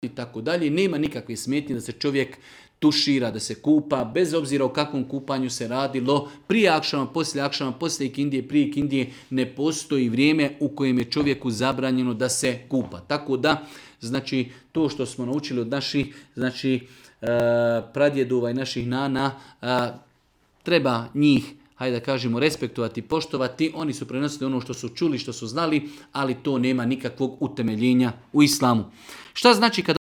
i tako dalje. Nema nikakve smetnje da se čovjek tušira, da se kupa, bez obzira o kakvom kupanju se radilo, prije akšama, poslije ikindije, prije ikindije, ne postoji vrijeme u kojem je čovjeku zabranjeno da se kupa. Tako da, znači, to što smo naučili od naših, znači, pradjedova i naših nana, treba njih, hajde da kažemo, respektovati, poštovati. Oni su prenosili ono što su čuli, što su znali, ali to nema nikakvog utemeljenja u islamu. Šta znači kada